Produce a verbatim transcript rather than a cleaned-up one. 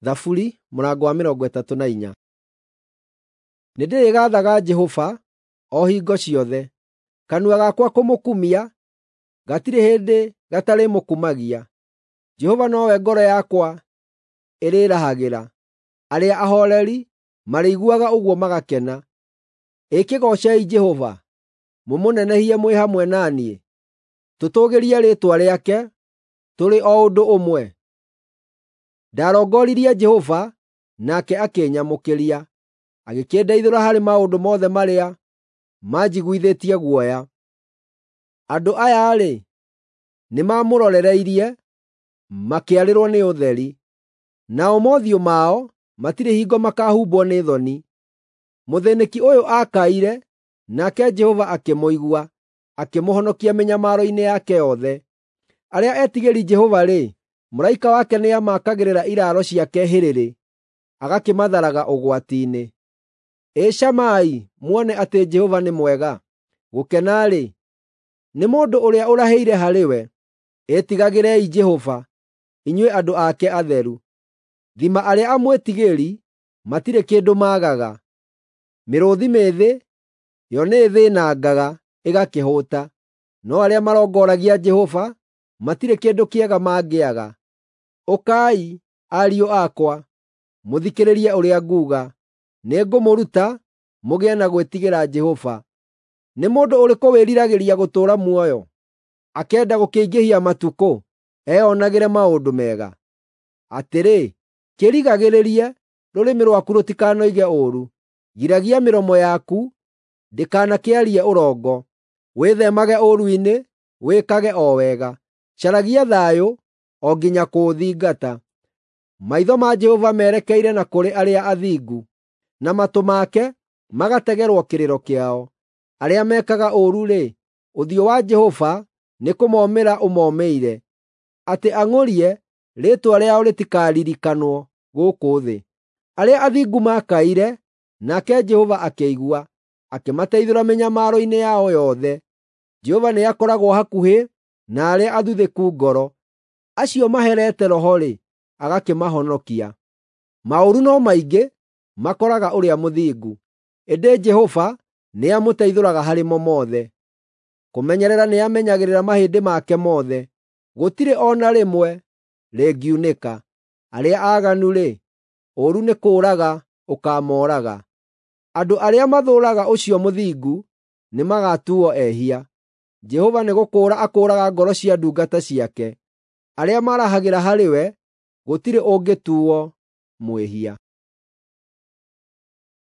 Thaburi mũrango wa mĩrongo ĩtatũ na inya. Nĩndĩrĩgaathaga Jehova o hingo ciothe; kanua gakwa kũmũkumia gatirĩ hĩndĩ gatarĩmũkumagia. Jehova nowe ngoro yakwa ĩrĩĩrahagĩra; arĩa ahooreri marĩiguaga ũguo magakena. Ĩ kĩgoocei Jehova, mũmũnenehie mwĩ hamwe na niĩ; tũtũũgĩrie rĩĩtwa rĩake tũrĩ o ũndũ ũmwe. Ndarongoririe Jehova, nake akĩnyamũkĩria, agĩkĩndeithũra harĩ maũndũ mothe marĩa manjiguithĩtie guoya. Andũ aya-rĩ, nĩmamũrorereirie, makĩarĩrwo nĩ ũtheri; nao mothiũ mao matirĩ hingo makaahumbwo nĩ thoni. Mũthĩnĩki ũyũ aakaire, nake Jehova akĩmũigua, akĩmũhonokia mĩnyamaro-inĩ yake yothe. Arĩa etigĩri Jehova-rĩ, mũraika wake nĩamakagĩrĩra iraaro ciake hĩrĩrĩ, agakĩmatharaga ũgwati-inĩ. Ĩ camai muone atĩ Jehova nĩ mwega; gũkena-rĩ, nĩ mũndũ ũrĩa ũrahĩire harĩ we. Ĩtigagĩrei Jehova, inyuĩ andũ ake atheru. Thima arĩa amwĩtigĩri matirĩ kĩndũ maagaga. Mĩrũũthi mĩĩthĩ yo nĩĩthĩnangaga ĩgakĩhũũta, no arĩa marongoragia Jehova matirĩ kĩndũ kĩega mangĩaga. Ũkai, ariũ akwa, mũthikĩrĩrie ũrĩa nguuga; nĩngũmũruta mũgĩe na gwĩtigĩra Jehova. Nĩ mũndũ ũrĩkũ wĩriragĩria gũtũũra muoyo, akenda gũkĩingĩhia matukũ, eyonagĩre maũndũ mega? Atĩrĩ, kĩrigagĩrĩrie rũrĩmĩ rwaku rũtikanoige ũũru; giragia mĩromo yaku ndĩkanakĩarie ũrongo. Wĩtheemage ũũru-inĩ, wĩkage o wega; caragia thayũ o nginya kũũthingata. Maitho ma Jehova merekeire na kũrĩ arĩa athingu, na matũ make magategerwo kĩrĩro kĩao. Arĩa mekaga ũũru-rĩ, ũthiũ wa Jehova nĩkũmomĩra ũmomĩire, atĩ ang'ũrie rĩĩtwa rĩao rĩtikaririkanwo gũkũ thĩ. Arĩa athingu maakaire, nake Jehova akĩigua, akĩmateithũra mĩnyamaro-inĩ yao yothe. Jehova nĩakoragwo hakuhĩ na arĩa athuthĩku ngoro, acio maherete roho-rĩ, agakĩmahonokia. Maũru no maingĩ makoraga ũrĩa mũthingu, ĩndĩ Jehova nĩamũteithũraga harĩ mo mothe. Kũmenyerera nĩamenyagĩrĩra mahĩndĩ make mothe, gũtirĩ o na rĩmwe rĩngiunĩka. Arĩa aaganu-rĩ, ũũru nĩ kũũraga ũkaamooraga. Andũ arĩa mathũũraga ũcio mũthingu nĩmagatuuo ehia. Jehova nĩgũkũũra akũũraga ngoro cia ndungata ciake; arĩa marahagĩra harĩ we gũtirĩ ũngĩtuuo mwĩhia.